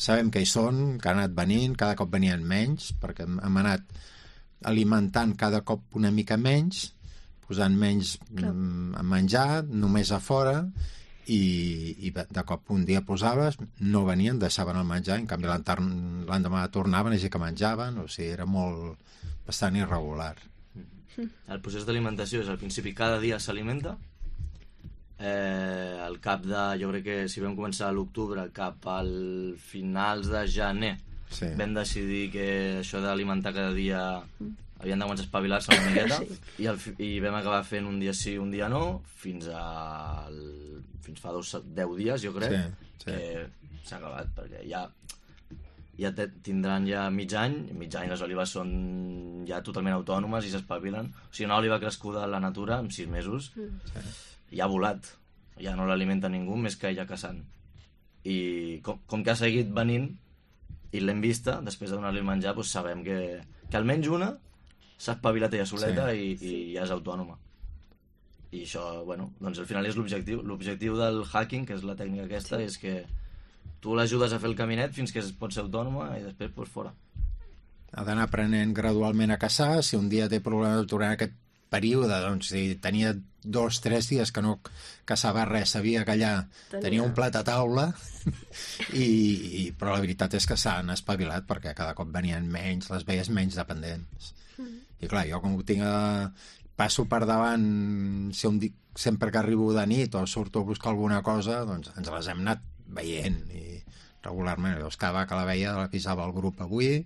sabem que hi són, que han anat venint, cada cop venien menys, perquè hem anat alimentant cada cop una mica menys, posant menys menjar, només a fora, i de cop un dia posaves, no venien, deixaven el menjar, en canvi l'endemà tornaven, així que menjaven, o sigui, era bastant irregular. El procés d'alimentació és al principi cada dia s'alimenta, al cap de, jo crec que si vam començar a l'octubre, cap al finals de gener, vam decidir que això d'alimentar cada dia havien de començar a espavilar-se una miqueta i vam acabar fent un dia sí, un dia no, fins fa 10 dies, jo crec, que s'ha acabat, perquè ja tindran ja mig any les olives són ja totalment autònomes i s'espavilen. O sigui, una oliva crescuda a la natura en 6 mesos ja ha volat, ja no l'alimenta ningú més que ella caçant. I com que ha seguit venint i l'hem vista, després de donar-li el menjar, doncs sabem que almenys una s'ha espavilat ella soleta i ja és autònoma. I això, bueno, doncs al final és l'objectiu. L'objectiu del hacking, que és la tècnica aquesta, és que tu l'ajudes a fer el caminet fins que pot ser autònoma i després pues, fora. Ha d'anar aprenent gradualment a caçar. Si un dia té problemes durant aquest període, doncs si tenia 2-3 dies que no caçava res, sabia que allà tenia un plat a taula, però la veritat és que s'han espavilat perquè cada cop venien menys, les veies menys dependents. I clar, jo com passo per davant, sempre que arribo de nit o surto a buscar alguna cosa, doncs ens les hem anat veient i regularment. Llavors cada que la veia l'avisava el grup avui,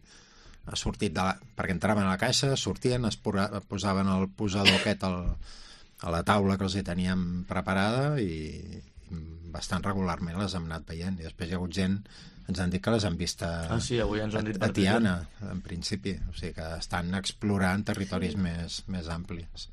ha sortit perquè entraven a la caixa, sortien, es posaven el posador aquest a la taula que els hi teníem preparada i bastant regularment les hem anat veient. I després hi ha hagut gent, ens han dit que les han vist avui ens ho han dit a Tiana, en principi. O sigui que estan explorant territoris més amplis.